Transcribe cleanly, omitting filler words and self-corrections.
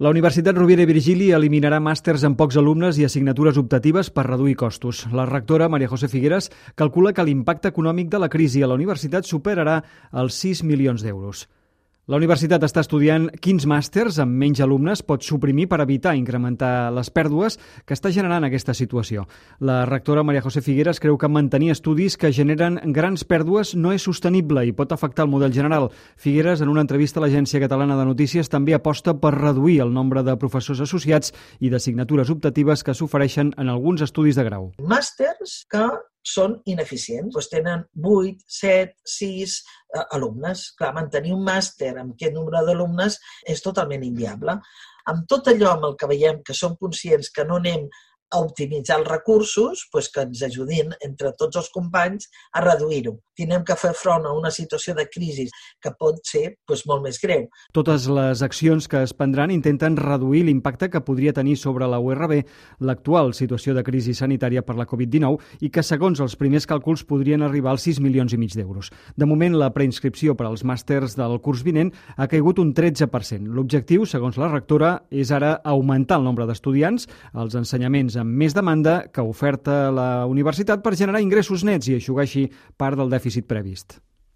La Universitat Rovira i Virgili eliminarà màsters amb pocs alumnes i assignatures optatives per reduir costos. La rectora, María José Figueras, calcula que l'impacte econòmic de la crisi a la universitat superarà els 6 milions d'euros. La universitat està estudiant quins màsters amb menys alumnes pot suprimir per evitar incrementar les pèrdues que està generant aquesta situació. La rectora María José Figueras creu que mantenir estudis que generen grans pèrdues no és sostenible i pot afectar el model general. Figueras, en una entrevista a l'Agència Catalana de Notícies, també aposta per reduir el nombre de professors associats i d'assignatures optatives que s'ofereixen en alguns estudis de grau. Màsters que són ineficients, tenen 8, 7, 6 alumnes. Clar, mantenir un màster amb aquest nombre d'alumnes és totalment inviable. Amb tot allò amb el que veiem que som conscients que no anem a optimitzar els recursos, que ens ajudin entre tots els companys a reduir-ho. Tinem que fer front a una situació de crisi que pot ser molt més greu. Totes les accions que es prendran intenten reduir l'impacte que podria tenir sobre la URB l'actual situació de crisi sanitària per la Covid-19 i que, segons els primers càlculs, podrien arribar als 6 milions i mig d'euros. De moment, la preinscripció per als màsters del curs vinent ha caigut un 13%. L'objectiu, segons la rectora, és ara augmentar el nombre d'estudiants, els ensenyaments amb més demanda que oferta la universitat per generar ingressos nets i eixugar així part del dèficit previst.